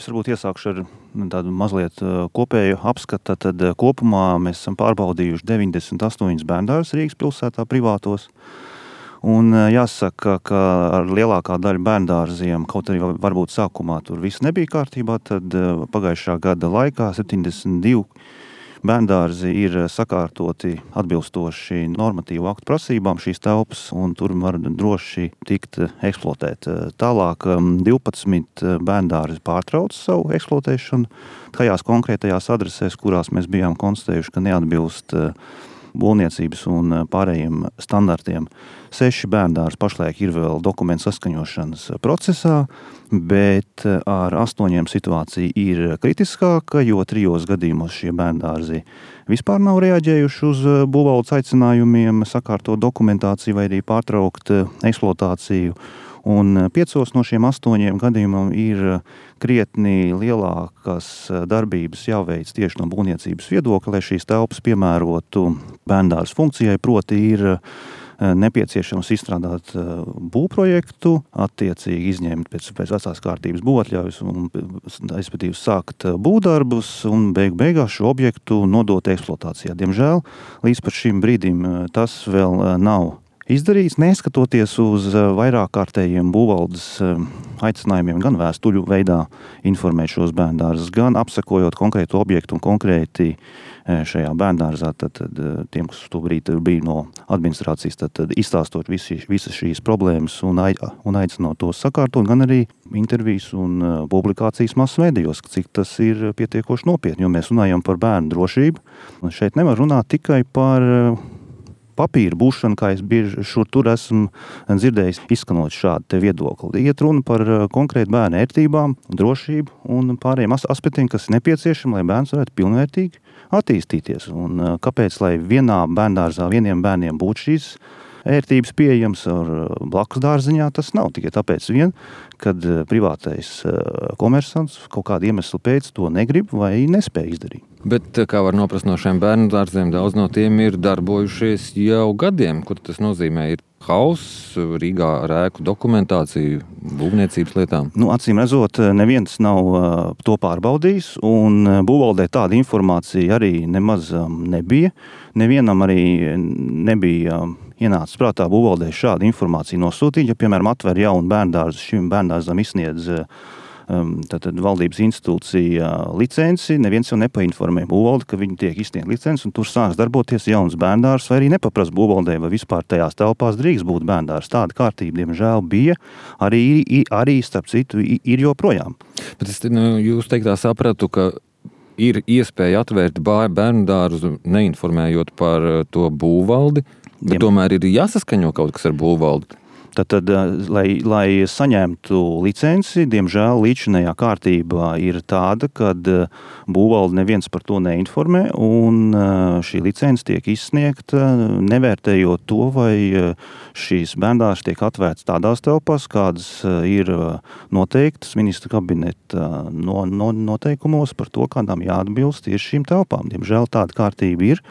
Es varbūt iesākšu ar tādu mazliet kopēju apskatu. Tad kopumā mēs esam pārbaudījuši 98 bērndārzus Rīgas pilsētā privātos. Un jāsaka, ka ar lielākā daļa bērndārziem, kaut arī varbūt sākumā tur viss nebija kārtībā, tad pagājušā gada laikā 72 bērndārzi ir sakārtoti atbilstoši normatīvu aktu prasībām šīs telpas, un tur var droši tikt eksploatēt. Tālāk 12 bērndārzi pārtrauc savu eksploatēšanu tajās konkrētajās adresēs, kurās mēs bijām konstatējuši, ka neatbilst būvniecības un pārējiem standartiem. 6 bērndārzi pašlaik ir vēl dokumentu saskaņošanas procesā, bet ar 8 situācija ir kritiskāka, jo 3 gadījumos šie bērndārzi vispār nav reaģējuši uz būvvaldes aicinājumiem sakārtot dokumentāciju vai arī pārtraukt eksploatāciju. Un 5 no šiem 8 gadījumiem ir krietni lielākas darbības jāveic tieši no būvniecības viedokļa, lai šīs telpas piemērotu bērndārza funkcijai, proti ir nepieciešams izstrādāt būvprojektu, attiecīgi izņemt pēc vecās kārtības būvatļaujas un, respektīvi, sākt būvdarbus un beigās šo objektu nodot eksploatācijā. Diemžēl līdz pat šim brīdim tas vēl nav izdarīts, neskatoties uz vairāk kārtējiem būvvaldes aicinājumiem gan vēstuļu veidā informēt šos bērndārzus, gan apsekojot konkrētu objektu un konkrēti šajā bērndārzā, tad tiem, kas to brīdi bija no administrācijas, tad izstāstot visas šīs problēmas un aicinot tos sakārtot, gan arī intervijas un publikācijas masmedijos, cik tas ir pietiekoši nopietni, jo mēs runājam par bērnu drošību. Un šeit nevar runāt tikai par papīra būšanu, kā es bieži šur tur esmu dzirdējis izskanot šādu te viedokli. Iet runa par konkrētu bērnu ērtībām, drošību un pārējiem aspektiem, kas ir nepieciešami, lai bērns varētu pilnvērtīgi attīstīties. Un kāpēc, lai vienā bērndārzā vieniem bērniem būtu šīs ērtības pieejams ar blakus dārziņā, tas nav tikai tāpēc vien, kad privātais komersants kaut kādu iemeslu pēc to negrib vai nespēj izdarīt. Bet, kā var noprast no šiem bērndārziem, daudz no tiem ir darbojušies jau gadiem. Kur tas nozīmē? Ir hauss Rīgā ar ēku dokumentāciju, būvniecības lietām? Acīm redzot, neviens nav to pārbaudījis, un būvvaldē tāda informācija arī nemaz nebija. Nevienam arī nebija ienācis prātā būvvaldē šādu informāciju nosūtīt. Ja, piemēram, atver jaunu bērndārzu, šim bērndārzam izsniedz tātad valdības institūcija licenci, neviens jau nepainformē būvvaldi, ka viņi tiek izsniegt licenci, un tur sāks darboties jauns bērndārs, vai arī nepaprast būvvaldē, vai vispār tajās telpās drīkst būt bērndārs. Tāda kārtība, diemžēl, bija, arī starp citu, ir joprojām. Bet es jūs teiktā sapratu, ka ir iespēja atvērt bērndārzu, neinformējot par to būvvaldi, bet tomēr ir jāsaskaņo kaut kas ar būvvaldi. Tad, lai saņemtu licenci, diemžēl līdzinējā kārtība ir tāda, kad būvvalde neviens par to neinformē, un šī licence tiek izsniegta, nevērtējot to, vai šīs bērndārzs tiek atvērts tādās telpās, kādas ir noteiktas ministra kabineta noteikumos par to, kādām jāatbilst tieši šīm telpām. Diemžēl tāda kārtība ir.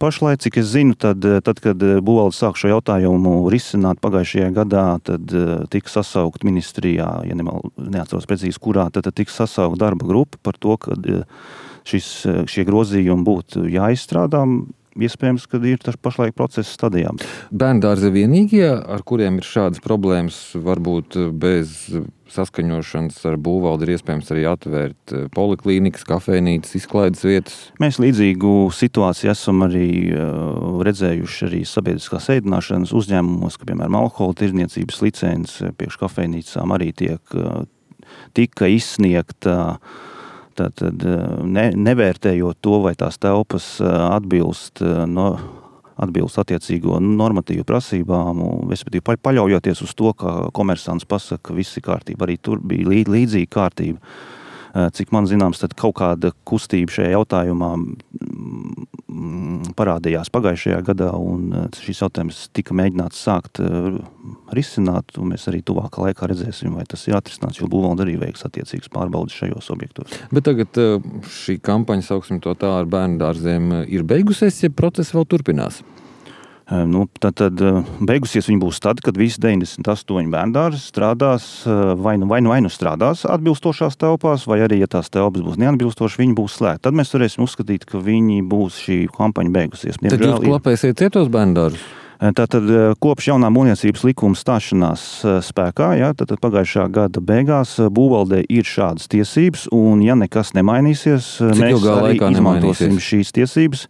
Pašlaik, cik es zinu, tad, kad būvvalde sāk šo jautājumu risināt pagājušajā gadā, tad tika sasaukt ministrijā, ja neatceros precīzi kurā, tad tika sasaukt darba grupa par to, ka šie grozījumi būtu jāizstrādā. Iespējams, ka ir pašlaik procesa stadijā. Bērndārzi vienīgie, ar kuriem ir šādas problēmas, varbūt bez saskaņošanas ar būvvaldi ir iespējams arī atvērt poliklīnikas, kafejnīcas, izklaides vietas? Mēs līdzīgu situāciju esam arī redzējuši arī sabiedriskās ēdināšanas uzņēmumos, ka, piemēram, alkohola tirdzniecības licence priekš kafejnīcām arī tika izsniegta. Tad nevērtējot to, vai tās telpas atbilst attiecīgo normatīvu prasībām, respektīvi paļaujoties uz to, ka komersants pasaka, ka viss ir kārtība. Arī tur bija līdzīga kārtība. Cik man zināms, tad kaut kāda kustība šajā jautājumā parādījās pagājušajā gadā, un šis jautājums tika mēģināts sākt risināt, un mēs arī tuvākā laikā redzēsim, vai tas ir atrisināts, jo būvvalde arī veiks attiecīgas pārbaudes šajos objektos. Bet tagad šī kampaņa, sauksim to tā, ar bērndārziem ir beigusies, ja process vēl turpinās? Tad beigusies viņa būs tad, kad visi 98 bērndārzi strādās vai nu strādās atbilstošās telpās, vai arī, ja tās telpas būs neatbilstošas, viņi būs slēgti. Tad mēs varēsim uzskatīt, ka viņi būs šī kampaņa beigusies. Tad jūs klapēsiet cietos bērndārzus? Tātad kopš jaunā būvniecības likuma stāšanās spēkā, tad pagājušā gada beigās būvvaldē ir šādas tiesības, un ja nekas nemainīsies, mēs arī izmantosim šīs tiesības.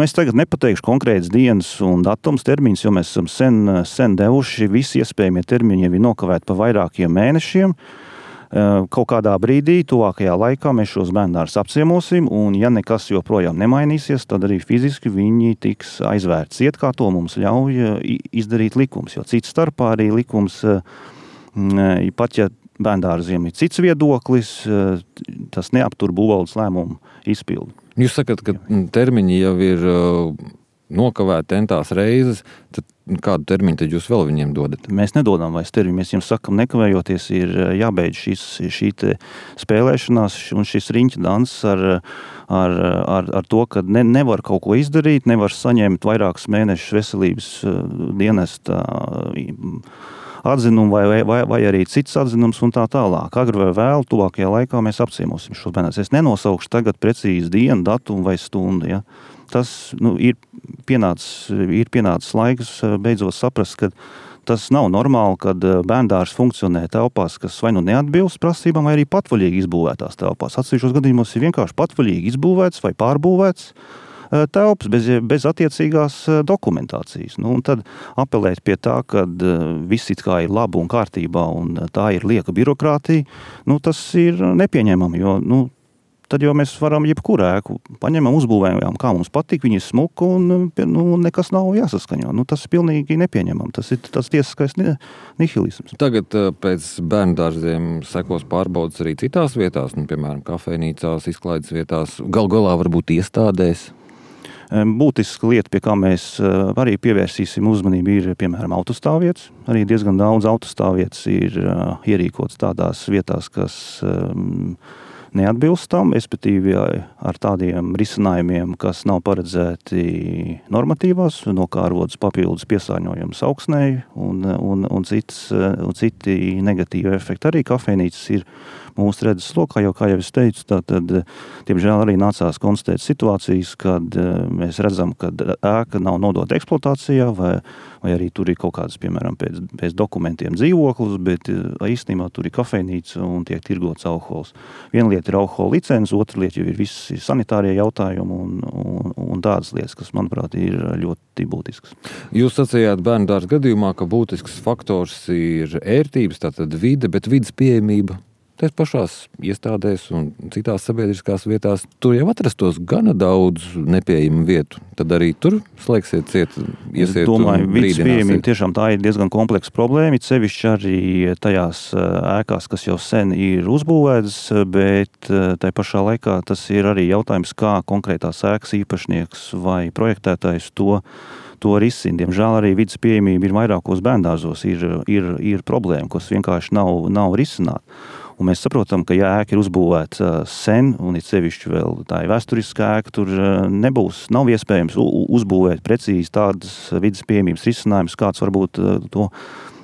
Es tagad nepateikšu konkrētas dienas un datums, termiņus, jo mēs esam sen devuši. Visi iespējamie termiņi jau ir nokavēti pa vairākiem mēnešiem. Kaut kādā brīdī, tuvākajā laikā mēs šos bērndārzus apciemosim, un ja nekas joprojām nemainīsies, tad arī fiziski viņi tiks aizvērti ciet, kā to mums ļauj izdarīt likums. Jo cits starpā arī likums, pat ja bērndārziem ir cits viedoklis, tas neaptur būvvaldes lēmumu izpildu. Jūs sakat, ka termiņi jau ir nokavēti entās reizes, tad kādu termiņu tad jūs vēl viņiem dodat? Mēs nedodam vairs termiņu, mēs jums sakam, nekavējoties ir jābeidz šī spēlēšanās un šis riņķa dans ar to, ka nevar kaut ko izdarīt, nevar saņemt vairākus mēnešus veselības dienesta atzinumu vai arī cits atzinums un tā tālāk. Agri vai vēl, tuvākajā laikā mēs apciemosim šos bērnus. Es nenosaukšu tagad precīzi dienu, datumu vai stundu. Ja? Tas ir pienācis laiks beidzot saprast, ka tas nav normāli, kad bērndārs funkcionē telpās, kas vai nu neatbilst prasībām, vai arī patvaļīgi izbūvētās telpās. Atsevišķos gadījumos ir vienkārši patvaļīgi izbūvēts vai pārbūvēts telpas bez attiecīgās dokumentācijas. Un tad apelēt pie tā, ka viss it kā ir labi un kārtībā un tā ir lieka birokrātija, tas ir nepieņemami, jo tad jau mēs varam jebkuru ēku paņemam, uzbūvējam, kā mums patīk, viņi ir smuki un nekas nav jāsaskaņo. Tas ir pilnīgi nepieņemam. Tas ir tas tiesiskais nihilisms. Tagad pēc bērndārziem sekos pārbaudas arī citās vietās, piemēram, kafejnīcās, izklaides vietās, galā varbūt iestādēs. Būtiska lieta, pie kā mēs arī pievērsīsim uzmanību, ir, piemēram, autostāvvietas. Arī diezgan daudz autostāvvietas ir ierīkotas tādās vietās, kas neatbilst tam, respektīvi ar tādiem risinājumiem, kas nav paredzēti normatīvās, no kā rodas papildus piesārņojums augsnei un citi negatīvi efekti. Arī kafejnīcas ir mūsu redzes lokā, jo, kā jau es teicu, tad, diemžēl, arī nācās konstatēt situācijas, kad mēs redzam, ka ēka nav nodota eksploatācijā, vai arī tur ir kaut kādas, piemēram, pēc dokumentiem dzīvoklis, bet īstenībā tur ir kafejnīca un tiek tirgots alkohols. Viena lieta ir alkohola licence, otra lieta jau ir visi sanitārie jautājumi un tādas lietas, kas, manuprāt, ir ļoti būtiskas. Jūs sacījāt bērndārza gadījumā, ka būtisks faktors ir ērtības, tātad vide, bet vides pieejamība. Tās pašās iestādēs un citās sabiedriskās vietās tur jau atrastos gana daudz nepieejamu vietu. Tad arī tur slēgsiet ciet, iesiet. Es domāju, vidas pieejamība tiešām tā ir diezgan kompleksa problēma, sevišķi arī tajās ēkās, kas jau sen ir uzbūvētas, bet tai pašā laikā tas ir arī jautājums, kā konkrētās ēkas īpašnieks vai projektētājs to risina. Diemžēl arī vidas pieejamība ir vairākos bērndārzos, ir problēma, kas vienkārši nav risināta. Un mēs saprotam, ka ja ēka ir uzbūvēta sen, un ir sevišķi vēl tā ir vēsturiska ēka, tur nav iespējams uzbūvēt precīzi tādas vidas pieejamības risinājumus, kāds varbūt to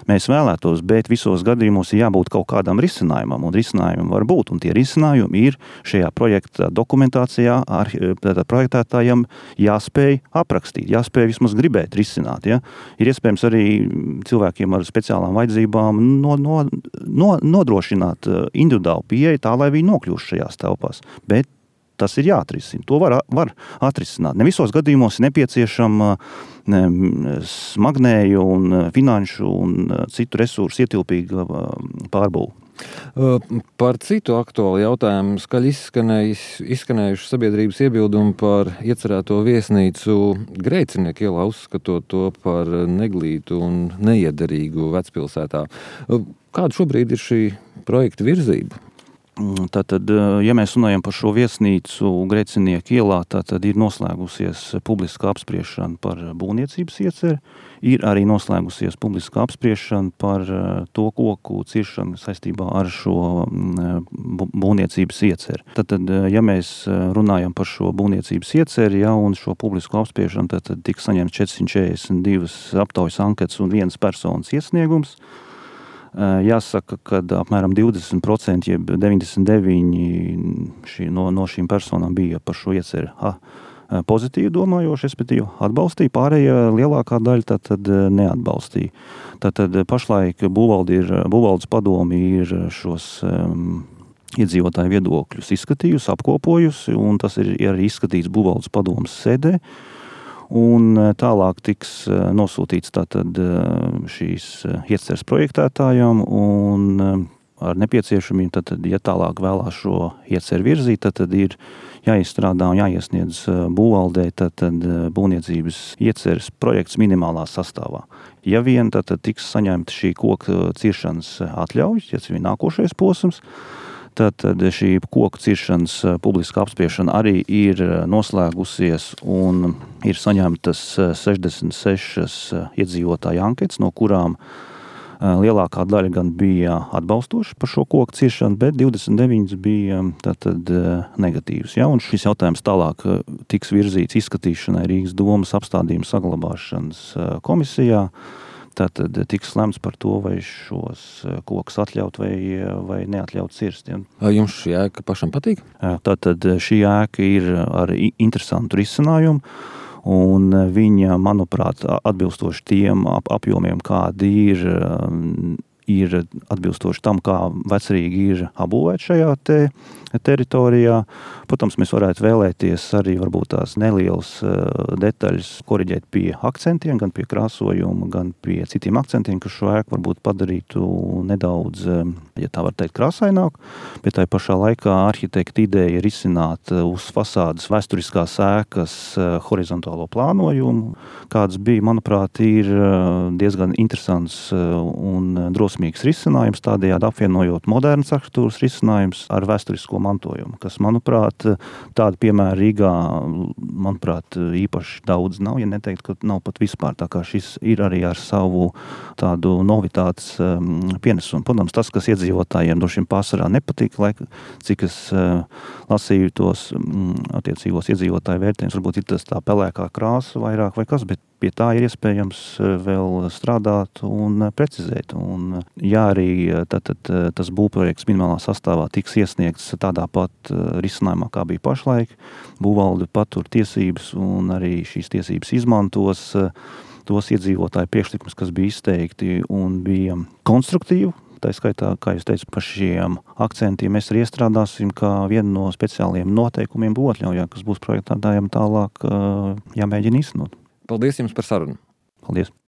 mēs vēlētos, bet visos gadījumos ir jābūt kaut kādam risinājumam, un risinājumam var būt, un tie risinājumi ir šajā projekta dokumentācijā projektētājam jāspēj aprakstīt, jāspēj vismaz gribēt risināt. Ja? Ir iespējams arī cilvēkiem ar speciālām vajadzībām nodrošināt individuālu pieeju tā, lai viņi nokļūst šajās telpās, bet tas ir jāatrisina. To var atrisināt. Ne visos gadījumos ir nepieciešama smagnēju un finanšu un citu resursu ietilpīga pārbūve. Par citu aktuālu jautājumu skaļi izskanējuši sabiedrības iebildumi par iecerēto viesnīcu Grēcinieku ielā, uzskatot to par neglītu un neiederīgu vecpilsētā. Kāda šobrīd ir šī projekta virzība? Tātad, ja mēs runājam par šo viesnīcu Grēcinieku ielā, tad ir noslēgusies publiska apspriešana par būvniecības ieceri, ir arī noslēgusies publiska apspriešana par to koku ciršanu saistībā ar šo būvniecības ieceri. Tad, ja mēs runājam par šo būvniecības ieceri, un šo publisko apspriešanu, tad tika saņemts 442 aptaujas anketas un vienas personas iesniegums. Jāsaka, ka apmēram 20%, jeb 99% no šīm personām bija par šo ieceri pozitīvi domājoši, respektīvi atbalstīja, pārējie lielākā daļa tad neatbalstīja. Tad pašlaik būvvaldes padomi ir šos iedzīvotāju viedokļus izskatījusi, apkopojusi, un tas ir arī izskatīts būvvaldes padomes sēdē. Un tālāk tiks nosūtīts tātad šīs ieceres projektētājām, un ar nepieciešamību, tad, ja tālāk vēlās šo ieceri virzīt, tad ir jāizstrādā un jāiesniedz būvvaldē tad būvniecības ieceres projekts minimālā sastāvā. Ja vien tad tiks saņemta šī koka ciršanas atļauja, ja tas ir nākošais posms, tad šī koku ciršanas publiska apspriešana arī ir noslēgusies un ir saņemtas 66 iedzīvotāju anketas, no kurām lielākā daļa gan bija atbalstoši par šo koku ciršanu, bet 29 bija negatīvs. Un šis jautājums tālāk tiks virzīts izskatīšanai Rīgas domas apstādījuma saglabāšanas komisijā. Tātad tiks lemts par to, vai šos kokus atļaut vai neatļaut cirst. Jums šī ēka pašam patīk? Tātad šī ēka ir ar interesantu risinājumu, un viņa, manuprāt, atbilstoši tiem apjomiem, kādi ir atbilstoši tam, kā Vecrīga ir apbūvēta šajā teritorijā. Protams, mēs varētu vēlēties arī varbūt tās nelielas detaļas koriģēt pie akcentiem, gan pie krāsojuma, gan pie citiem akcentiem, kas šo ēku varbūt padarītu nedaudz, ja tā var teikt, krāsaināku, bet tai pašā laikā arhitekta ideja ir izsināt uz fasādes vēsturiskās ēkas horizontālo plānojumu, kāds bija, manuprāt, ir diezgan interesants un drosmīgs risinājums, tādējādi apvienojot modernas arhitektūras risinājums ar vēsturisko mantojumu, kas, manuprāt, tādi piemēri Rīgā, manuprāt, īpaši daudz nav, ja neteikt, ka nav pat vispār, tā kā šis ir arī ar savu tādu novitātes pienesumu. Protams, tas, kas iedzīvotājiem no šim pārsvarā nepatīk, cik es lasīju tos attiecīgos iedzīvotāju vērtējumus, varbūt ir tas tā pelēkā krāsa vairāk vai kas, bet pie tā ir iespējams vēl strādāt un precizēt. Un, ja arī tas būvprojekts minimālā sastāvā tiks iesniegts tādā pat risinājumā, kā bija pašlaik, būvvalde patur tiesības un arī šīs tiesības izmantos tos iedzīvotāju priekšlikumus, kas bija izteikti un bija konstruktīvi. Tā skaitā, kā jūs teicu, par šiem akcentiem mēs arī iestrādāsim kā vienu no speciāliem noteikumiem būvatļaujā, kas būs projektētājiem tālāk jāmēģina īstenot. Paldies jums par sarunu. Paldies.